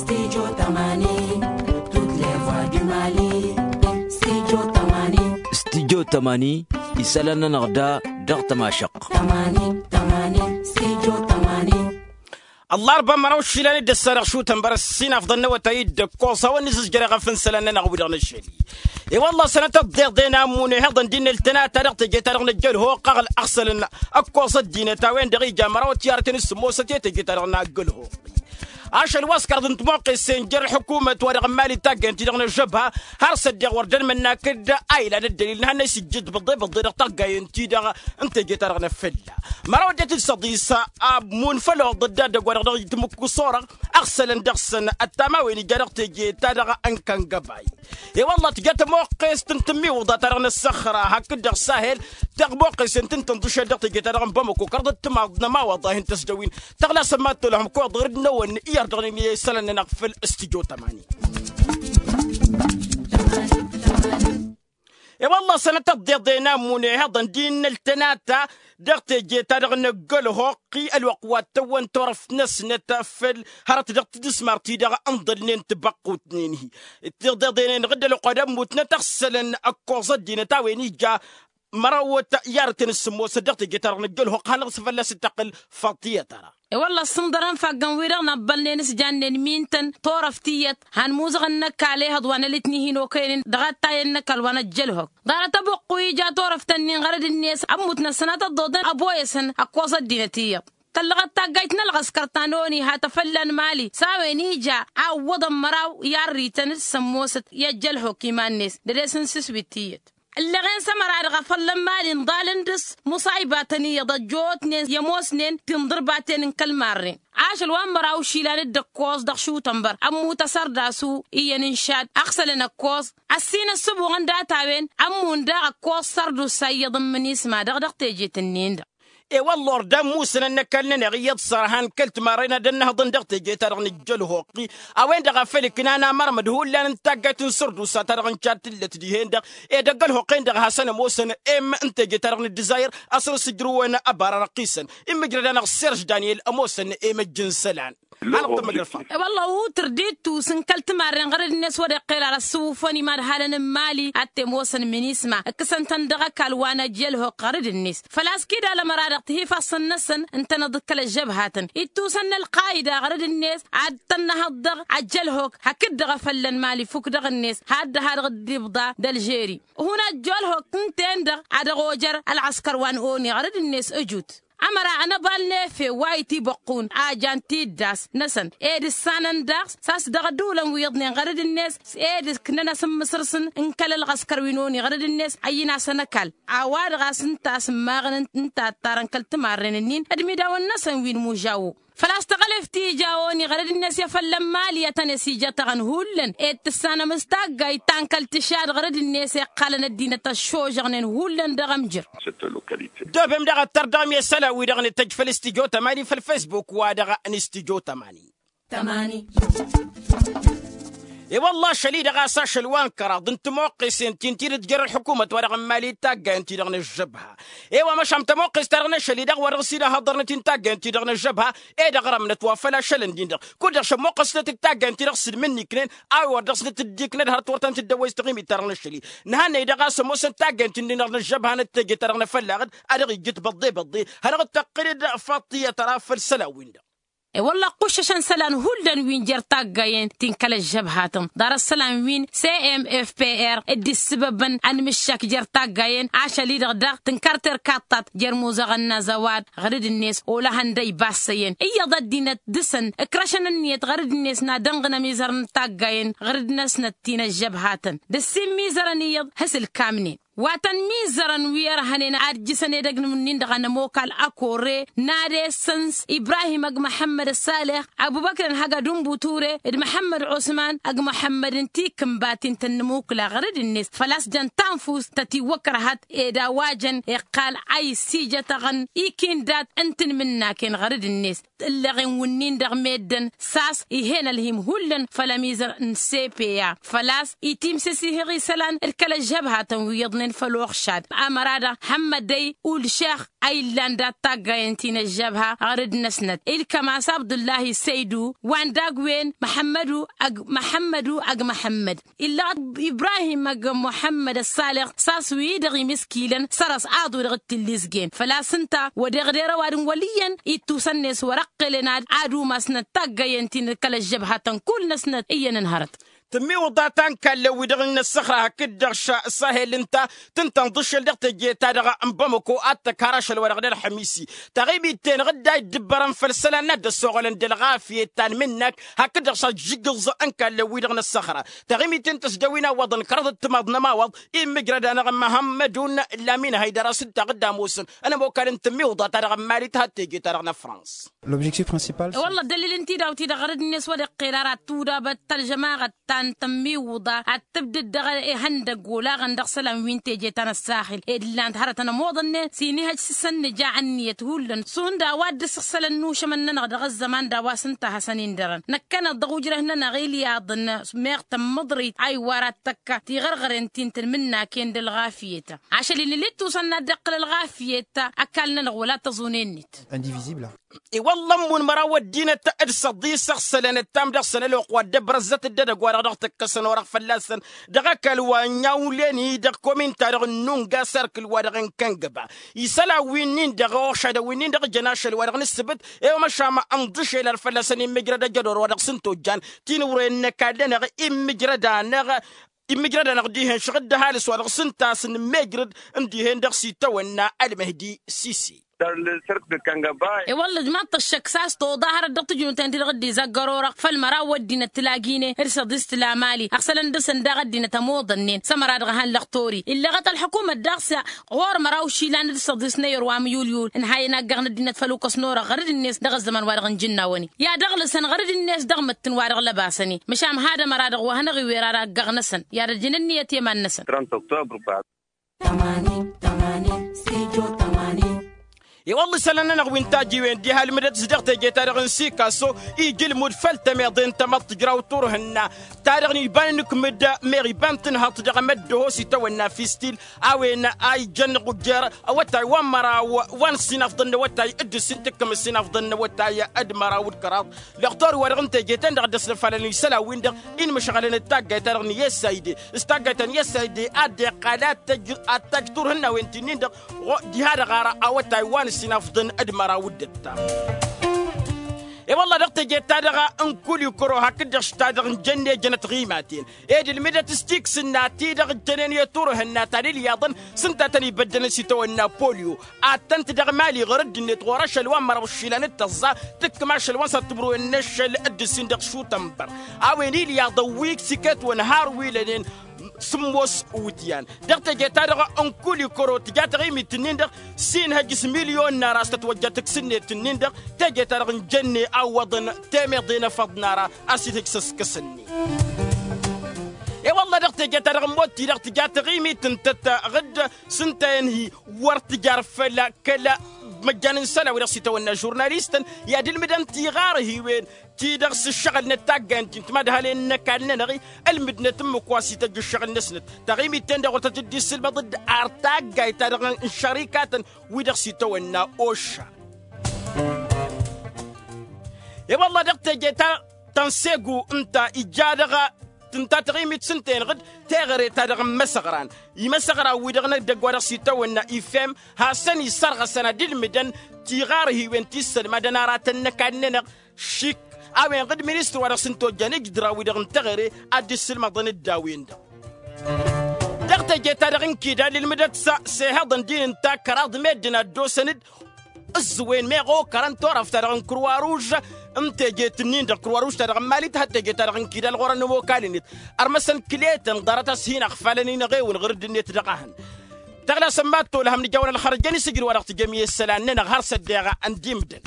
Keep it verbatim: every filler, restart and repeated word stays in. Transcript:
Studio tămani. Tutlevoa dumali. Studio tămani. Studio tămani. Isălan-nănăɣ da dăɣ-tămašăɣt. Tămani tămani. Studio tămani. Ăllarba măraw išilan d-ăssanăɣ šutăn bărăs s-inafḍăn n-awătay d-ăkkoẓ hawăn-nǝzǝzjăr eɣăf n-isălan-nănăɣ wi-dăɣ n-ašăl. I-wălla sănătăt d-iḍen ammune heḍăn d-innăl tănata dăɣ-teje-ta-dăɣ n-ăjjălhoq aɣsălăn ăkkoẓ ăddinăt a-wen-dăɣ ija măraw tiyyarten s-sămmosăt i-teje-ta-dăɣ n-aggălhoq. Ašăl wa s-kăraḍ n-timoqqesen jer-ălḥukumăt wa dăɣ-n mali taggayăn-ti-dăɣ n-ăžžăbha har s-ăddeɣ wăr dd-ănmănnak d-a ilan ăddălil n-hannăy s-ijjǝd băḍḍe-băḍḍe dăɣ-taggayăn-ti-dăɣ n-teje-ta-dăɣ n-afălla. Măraw ăddinăt d-săḍis amun făll-oḍăd d-ad-ăgg wa dăɣ-dăɣ itmǝkku s-orăɣ ăɣsălăn dăɣ-săn ăttam a-wen ija dăɣ-teje-ta-dăɣ n-kăngăbay. I-wălla tǝja tămoqqest n-tǝmmiwǝḍa-ta-dăɣ n-ăssăxra hakd-dăɣ sahel tăɣmoqqesen tǝntǝnḍǝšed dăɣ-teje-ta-dăɣ n-bamăko kărḍăt timaḍ n-ămawaḍ a hin-tăsdăwin tăɣlasăn ma t-tolăhăm koḍăr d-năwăn iyyăr dăɣ-nini isălan-nănăɣ făll-studio tămani. I-wălla sănătăt d-iḍen ammune heḍăn d-innăl tănata dăɣ-teje-ta-dăɣ n-ăggălhoq-i ălwăqq wa t-tăwwăn turăft-năsnăt făll-hărăt dăɣ-tǝdǝsmar-ti-dăɣ ǝnḍălnen tibăqqut-nen-hi. Tiḍeḍenen ɣǝd ălwăqq wa d-ămmutnăt ăɣsălăn ăkkoẓ ăddinăt a-wen ija mărawăt iyyarăten s-sǝmmosăt dăɣ-teje-ta-dăɣ n-ăjjălhoq hanăɣ-s fălla-s d-tăqqǝl faḍt tiyyăt ara. I-wălla ăssǝnḍărăn faggan-wi-dăɣ n-abbălnen s-jannen mintăn turăft iyyăt han muzăɣăn n-ăkall ehăḍ wa n-ălitni hin-okăynen dăɣ-attayăn n-ăkall wa n-ăjjălhok. Ḍarăt ăbuqqu ija turăft-ǝnnin ɣărăd-net ămmutnăt sănatăt ḍoḍăn ăboyăsăn ăkkoẓ ăddinăt iyyăḍ. Tăllăɣăt taggayt n-ălɣăskăr ta n-oni ha tăfălla n-mali s-a-wen ija a ǝwwăḍăn măraw i-arrităn d-sămmosăt i-ăjjălhok iman-net dăr-e-s n-sǝswit tiyyăt. Ǝlleɣen s-ămăra-dăɣ a făllăn mali ǝnḍalăn dăr-s muṣaybatăn iyyăḍ ăjjootnen i-ămoosnen tinḍǝrbaten n-kăl-marren. Ašăl wa n-măraw išilan d-ǝkkoẓ dăɣ-šutănbăr ămmut asărdasu iyyăn n-šad ăɣsălăn ăkkoẓ ăssin ăssǝbuɣăn data-wen ămmun daɣ ăkkoẓ sărdusa iyyăḍ n-imǝnisma-dăɣ dăɣ-tejet-ǝnnin-dăɣ. I-wălla ordan musǝnăn n-ăkall-nănăɣ iyyăḍ sărhan kăl-timarren ad-ănnăhăḍăn dăɣ-teje-ta-dăɣ n-ijjălhoqqi a-wen-dăɣ a făl ǝknan amărmăd hullan n-taggayt n-sărdusa-ta-dăɣ n-cad tǝllăt dihen-dăɣ. Ed ăggălhoqqen-dăɣ a hasăn-ămoosăn em n-teje-ta-dăɣ n-ǝddǝzayăr a săr-s ǝjrǝwăn ăbara răqqisăn. Immǝjrăd-anăɣ serž daniyel ămoosăn em ăjj n-isălan. Hanăɣ-tămmăjrăd faḍ. I-wălla utǝr d-ittus n-kăl-timarren ɣărăd-net wăr-iqqel ar ăssǝwǝfăn imadhalăn n-mali ad-t-ămoosăn minisma ǝkkǝsăn-tăn dăɣ-ăkall wa n-ăjjălhoq ɣărăd-net. Făl-a-s kid-alămăra-dăɣ tihifasăn-năsăn ǝntăneḍ d-kăl-ăžžăbhatăn ittusăn n-ălqayda ɣărăd-net ad-tănnăhăḍ dăɣ-ăjjălhok hakd-dăɣ a făllăn mali fukk dăɣ-net had-dăɣ-ha-dăɣ dd-ibḍa d-ălžeri. Hun ăjjălhok ǝnta-en-dăɣ a dăɣ-ojăr ălɣăskăr wa n-oni ɣărăd-net ăjut ămăra ănăbal n-efe wa itibăqqun a jan tiddas-năsăn ed ǝssanăn daɣ s-a-s dăɣ-ădulăn wi iyyăḍnen ɣărăd-net ed ǝknăn asǝmmǝsrǝsăn n-kăl-ălɣăskăr wi n-oni ɣărăd-net ăyyǝn-asăn ăkall a-wa-dăɣ a-s ǝnta a-s ǝmmaɣăn n-tattarăn kăl-timarren-ǝnnin d-imidawăn-năsăn wi n-imužawo. Făl-a-s taɣăleft ti ija oni ɣărăd-net i-afăllăn mali a tăn-e-s ijatăɣăn hullan ed tǝssanăm s-taggayt ta n-kăl-tǝšad ɣărăd-net iqqalăn ăddinăt ăššožăɣnen hullan dăɣ-ămjăr. Dobem daɣ ăttăr dăɣ-mi isălan-wi-dăɣ nǝtăjj făll-studio tămani făll-facebook-wa-dăɣ n-studio tămani. Tămani. I-wălla ašăl-i-dăɣ a-s ašăl wa n-kăraḍ n-tămoqqesen ti n-tidǝt jer-ălḥukumăt wa dăɣ-n mali d-taggayăn-ti-dăɣ n-ăžžăbha. I-wa măšan tămoqqes-ta-dăɣ n-ašăl-i-dăɣ wa dăɣ-s ila hăḍărnăt-in taggayăn-ti-dăɣ n-ăžžăbha ed ăɣrămnăt wa făll-ašăl ǝndin-dăɣ kud-dăɣ šămmoqqăsnăt d-taggayăn-ti-dăɣ s-dd-mǝnniknen a-wen wăr dăɣ-snăt dd-iknăd hărăt wăr tăn-tǝddăwwăy s-taɣimit-ta-dăɣ n-ašăl-i. Nǝhannăy-dăɣ a-s ămoosăn taggayăn-ti-dăɣ n-ăžžăbha n-teje-ta-dăɣ n-afăllaɣ-dd a dăɣ-ijjǝt băḍḍe-băḍḍe. Hanăɣ-dd-tăqqǝled faḍt tiyyăt ara făll-isălan-win-dăɣ. I-wălla ăqquššăšăn isălan hullan wi n-jer taggayen ti n-kăl-ăžžăbhatăn ḍarăt isălan wi n-cmfpr dd-issǝbăbăn ănmǝššak jer-taggayen ašăl-i-dăɣ daɣ tǝnkar terkaḍt-ta-t jer-imuzăɣăn n-azăwad ɣǝr-dd-net olăhăn d-ăybassăyăn iyyăḍ ăddinăt dăɣ-săn ǝkrăšăn ǝnniyăt ɣǝr-dd-net n-ad-ănɣǝn ămizăr n-taggayen ɣǝr-dd-năsnăt ti n-ăžžăbhatăn d-ǝssin imizărăn iyyăḍ hasǝlkamnen. Wa tăn-mizărăn wi ărhănen ad-jǝsăn edăgg n-imǝnnin-dăɣ anămokal ăkore n-ad-esăn s-ibrahim ăgg măḥămmăd ăssaleh ăbubăkr n-hăgg ădunbuture d-măḥămmăd osman ăgg măḥămmăd n-tikǝnbat ti n-tăn-nǝmukǝla ɣăr-dd-net făl-a-s jăn tanfust tătiwăkrăhăt ed a-wa jăn iqqal a issijătăɣăn ikindat n-tinmǝnnaken ɣăr-dd-net. Ǝlleɣen wǝnnin-dăɣ meddǝn s-a-s ih'-en ălhim hullan făll-ămizăr n-sepeya făl-a-s itimsǝsihăɣ isălan d-kăl-ăžžăb hatăn wi iyyăḍnen. făll-oxšad ămăra-dăɣ hămmădăy ulšex a illan dat-taggayăn ti n-ăžžăbha ɣărăd-năsnăt ilkămas abdullahi săydu wa n-dagg-wen măḥămmădu ăgg măḥămmăd. Illăɣăt ibrahim ăgg muḥămmăd ăssalix s-a-s wi-dăɣ imǝskilăn săr-s aḍu dăɣ-t tǝllǝzgen făl-a-s ǝnta wădeɣ d-erăwad n-wăl' iyyăn ittusăn-net wăr-ăqqelăn ad-ad-umasnăt taggăyăn ti n-kăl-ăžžăbhatăn kull-năsnăt iyyăn n-hărăt. Tǝmmiwǝḍa ta n-kallăn-wi-dăɣ n-ăssăxra hakd-dăɣ s-sahel ǝnta tǝntănḍǝšel dăɣ-teje-ta-dăɣ n-bamăko ad-tăkk har ašăl-wa-dăɣ d-ălxămisi. Taɣimit-ten-dăɣ dd-a iddǝbbărăn făll-isălan n-ad-dd-ăssoɣălăn d-ălɣafyăt ta n-imǝnnak hakd-dăɣ s-ajǝggǝẓ n-kallăn-wi-dăɣ n-ăssăxra. Taɣimit-ten tăsdăwin a iwwăḍăn kăraḍăt timaḍ n-ămawăḍ immǝjrăd-anăɣ n-măhămmădun lamin haydăr a-s ǝnta a dd-ămoosăn ănămokal n-tǝmmiwǝḍa-ta-dăɣ n-malit had-teje-ta-dăɣ n-ăfrans. L'objectif principal. Wălla ăddălil n-tidaw-ti-dăɣ ɣărăd-net wăr-iqqel ara tudabăt ta ălžămaɣăt ta n-tǝmmiwǝḍa ad-tǝbdǝd dăɣ-ihăndăgg olaɣăn dăɣ-isălan wi n-teje ta n-ăssaxil ed ǝllan-t hărătăn ămoḍănnen s-inihăj s-isănnǝja ǝnniyăt hullan s-hundăɣ wa dd-ǝssăɣsălăn n-ušămăn-nănăɣ dăɣ-ăzzăman daw-a-s ǝnta a hasăn-in-dărăn. Năkkăneḍ dăɣ-ujrăh-nănăɣ ilyaḍăn meɣ tămmăḍrit a iwwar ad-tăkka tiɣărɣăren ti n-tǝlmǝnnaken d-ălɣafyăt. Ašăl-in ǝlli t-usăn n-ad-dd-iqqǝl ălɣafyăt ăkall-nănăɣ wăla tăẓune-net. Indivizibla. I-wălla ămmun măraw ăddinăt d-săḍisăɣ sălănăt-tam dăɣ-săn ălwăqq wa dd-ăbrăzzăt dd-edăgg-wa-dăɣ dăɣ-tǝkkăsăn orăɣ fălla-săn dăɣ-ăkall wa n-iawlen-i-dăɣ komin-ta-dăɣ n-nunga serkǝl-wa-dăɣ n-kăngăba. Isălan wi-nin-dăɣ ošadăn wi-nin-dăɣ jăn ašăl-wa-dăɣ n-ǝssǝbǝt i-wa măšan ănḍǝšel ar fălla-săn immǝjrăd ăjădor-wa-dăɣ s-ǝnta ojjan tinǝwrăyăn n-ăkall-nănăɣ immǝjrăd-anăɣ. Immǝjrăd-anăɣ dihen šăɣ-dd ăhalǝs-wa-dăɣ s-ǝnta a-s nǝmmejrăd n-dihen dăɣ-s itawănna ălmăhdi sisi. I-wălla ǝjmaḍ-t ăššăk s-a-s toḍa hărăt dăɣ-tǝjnuten-ti-dăɣ dd-izăggăr orăɣ făll-măraw ăddinăt tǝlagi-ne d-săḍis tǝla mali ăɣsălăn dăɣ-săn daɣ ăddinăt ămoḍănnen s-ămăra dăɣ-ehăn lăxtor-i illăɣăt ălḥukumăt daɣ s-ɣur-măraw išilan d-săḍis n-eyăr wa n-yulyul ǝnhayăn aggăɣ n-ăddinăt făll-ukăs n-orăɣ ɣărăd-net dăɣ-ăzzăman wa dăɣ-nǝjǝnnawăn-i i-ad-ăɣlǝsăn ɣărăd-net dăɣ-mǝttǝn wa dăɣ-lăbasăn-i. Măšan had-ămăra-dăɣ wa hanăɣ-iwer ara aggăɣ-năsăn i-ad-ăjjăn ǝnniyăt i-iman-năsăn. Tămanin tămanin stujo tămanin. I-wălla isălan-nănăɣ wi n-tajiwen diha ǝlmǝdăt-s dăɣ-teje-ta-dăɣ n-sikaso ija ǝlmud făll-temeḍe n-tamăḍt tǝjraw turhǝnna ta dăɣ-nǝjban ǝnǝkmǝd meɣ iba n-tǝnhăḍt dăɣ-emăddoho s-itawănna fistil a-wen a ijăn ɣujjăr awătay wa n-măraw wa n-sinafḍăn n-awătay d-ǝssin tǝkkǝm ǝssinafḍăn n-awătay d-măraw d-kăraḍ. Lăxtor-i-wa-dăɣ n-teje-ten-dăɣ dd-ăslăfalăn isălan-win-dăɣ inmǝšɣălăn d-taggayt-ta-dăɣ n-i s i d s-taggayt ta n-i s i d a dd-iqqal ad-tăjj ad-tăjj turhǝnnawen ti-nin-dăɣ. Diha-dăɣ ara awătay wa n-ǝssin afḍăn d-măraw d-ǝttam. I-wălla dăɣ-teje-ta-dăɣ n-kulikuro hakd-dăɣ šita-dăɣ n-jănne jănăt ɣimaten ed ǝlmǝdăt s-tiksǝnna ti-dăɣ ǝjjănen i-turhǝnna ta n-ilyaḍăn s-ǝnta a tăn-ibăddălăn s-itawănna polyo ad-tăn-t-dăɣ mali ɣur-dd-net ɣur-ašăl wa n-măraw išilan d-tăẓẓa tǝkkǝm ašăl wa n-săr tǝbrǝwen n-ašăl d-ǝssin dăɣ-šutănbăr a-wen ilyaḍăn wi s-iket-wăn har wi lănen. Sǝmmos wǝtyan dăɣ-teje-ta-dăɣ n-kulikoro tǝja taɣimit-nin-dăɣ s-inhăj s-milyon n-ara a-s tătwăjja tǝksǝnnet-nin-dăɣ teje-ta-dăɣ n-jănne a ǝwwăḍăn temeḍe n-efăḍ n-ara a-s ihăj s-ăskăs-net. I-wălla dăɣ-teje-ta-dăɣ n-mod-ti-dăɣ tǝja taɣimit n-tăt-ɣǝdd s-ǝnta i-ănhi wăr tǝjar făll-kăla măjjan n-isălan-wi-dăɣ s-itawănna žurnalistăn i-ad-ǝlmǝdăn tiɣarhiwen ti-dăɣ s-ǝššăɣǝlnăt taggayăn ti n-timadhalen n-ăkall-nănăɣ-i ǝlmǝdnăt ǝmmǝk wa s-ităjj ǝššăɣǝl-năsnăt. Taɣimit-ten-dăɣ wăr tăt-dd-issǝlmăḍ-dd ar taggayt-ta-dăɣ n-šărikatăn wi-dăɣ s-itawănna oša. I-wălla dăɣ-teje ta tănsegu ǝnta ija dăɣ-tǝnta taɣimit s-ǝnta-enăɣ-dd teɣăre-ta-dăɣ n-imăsăɣran imăsăɣran-wi-dăɣ n-edăgg wa dăɣ-s itawănna ifem hasăn-isărɣăsăn ad-ǝlmǝdăn tiɣarhiwen ti ǝssălmadăn aratăn n-ăkall-nănăɣ šik a-wen-dăɣ d-ministăr wa dăɣ-s ǝnta ojjan ǝjdăraw-wi-dăɣ n-teɣăre ad-dd-issǝlmăḍăn-dd a-wen-dăɣ. Dăɣ-teje-ta-dăɣ n-kidal ǝlmǝdăt s-ehăḍăn din ǝnta kăraḍ meddǝn a dd-osăn-dd ǝẓẓǝwen meɣ okărăn turăft-ta-dăɣ n-kruwaruž n-tejet-nin-dăɣ kruwaruž-ta-dăɣ n-mali tǝhăt tejet-ta-dăɣ n-kidal ɣur-ănn ămokalăn-net. Ărmăsăn kǝletăn ḍarăt a-s hin-ăɣfalăn-in ăɣewǝn ɣur-dd-net dăɣ-ehăn tăɣlasăn mad-tolhăm nǝjawăn ălxărjăn isǝjǝd wa dăɣ-tǝjăm i-isălan-nănăɣ har s-ăddeɣ n-dimdăn.